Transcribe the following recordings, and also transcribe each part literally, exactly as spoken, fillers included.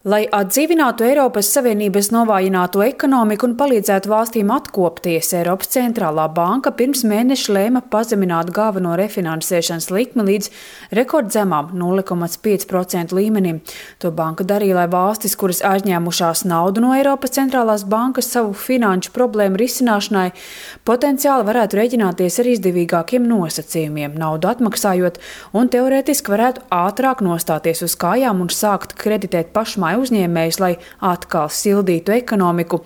Lai atdzīvinātu Eiropas Savienības novājināto ekonomiku un palīdzētu valstīm atkopties, Eiropas centrālā banka pirms mēneša lēma pazemināt galveno refinansēšanas likmi līdz rekordzemām nulle komats pieci procenti līmenim. To banka darīja, lai valstis, kuras aizņēmušās naudu no Eiropas centrālās bankas savu finanšu problēmu risināšanai, potenciāli varētu rēķināties ar izdevīgākiem nosacījumiem, naudu atmaksājot, un teorētiski varētu ātrāk nostāties uz kājām un sākt kreditēt pašmāju uzņēmējus, lai atkal sildītu ekonomiku.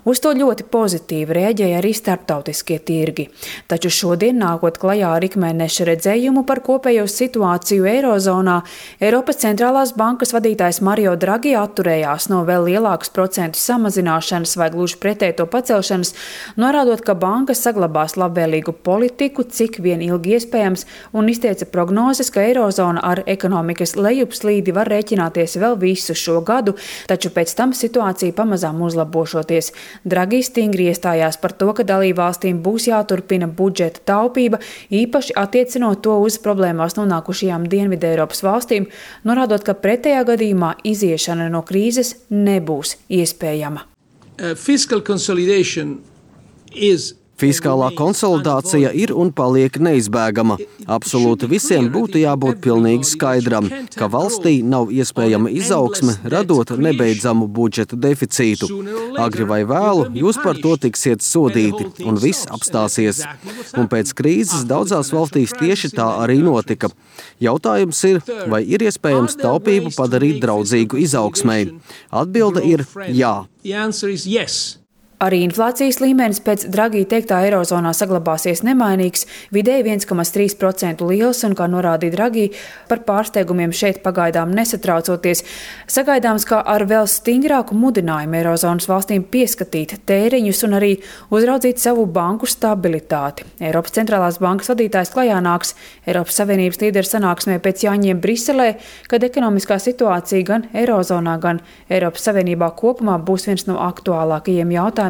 Uz to ļoti pozitīvi rēģēja arī starptautiskie tirgi. Taču šodien, nākot klajā ar ikmēneša redzējumu par kopējo situāciju Eirozonā, Eiropas centrālās bankas vadītājs Mario Draghi atturējās no vēl lielākas procentu samazināšanas vai gluži pretēji to pacelšanas, norādot, ka bankas saglabās labvēlīgu politiku, cik vien ilgi iespējams, un izteica prognozes, ka Eirozona ar ekonomikas lejupslīdi var rēķināties vēl visu šo gadu, taču pēc tam situācija pamazām uzlabošoties. Draghi stingri iestājās par to, ka dalībvalstīm būs jāturpina budžeta taupība, īpaši attiecinot to uz problēmās nonākušajām Dienvidu Eiropas valstīm, norādot, ka pretējā gadījumā iziešana no krīzes nebūs iespējama. Uh, fiscal consolidation is Fiskālā konsolidācija ir un paliek neizbēgama. Absolūti visiem būtu jābūt pilnīgi skaidram, ka valstī nav iespējama izaugsme, radot nebeidzamu budžeta deficītu. Agri vai vēlu jūs par to tiksiet sodīti, un viss apstāsies. Un pēc krīzes daudzās valstīs tieši tā arī notika. Jautājums ir, vai ir iespējams taupību padarīt draudzīgu izaugsmei? Atbilde ir jā. Arī inflācijas līmenis pēc Draghi teiktā Eirozonā saglabāsies nemainīgs, vidēji viens komats trīs procenti liels, un, kā norādīja Draghi, par pārsteigumiem šeit pagaidām nesatraucoties. Sagaidāms, ka ar vēl stingrāku mudinājumu Eirozonas valstīm pieskatīt tēriņus un arī uzraudzīt savu banku stabilitāti. Eiropas centrālās bankas vadītājs klajā nāks Eiropas Savienības līderu sanāksmē pēc Jāņiem Briselē, kad ekonomiskā situācija gan Eirozonā, gan Eiropas Savienībā kopumā būs viens no aktuālākajiem jautājumiem.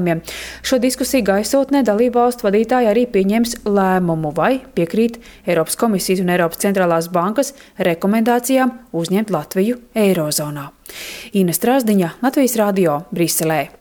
Šo diskusiju gaisotnē dalībvalstu vadītāji arī pieņems lēmumu, vai piekrīt Eiropas komisijas un Eiropas centrālās bankas rekomendācijām uzņemt Latviju Eirozonā. Ina Strasdiņa, Latvijas radio, Briselē.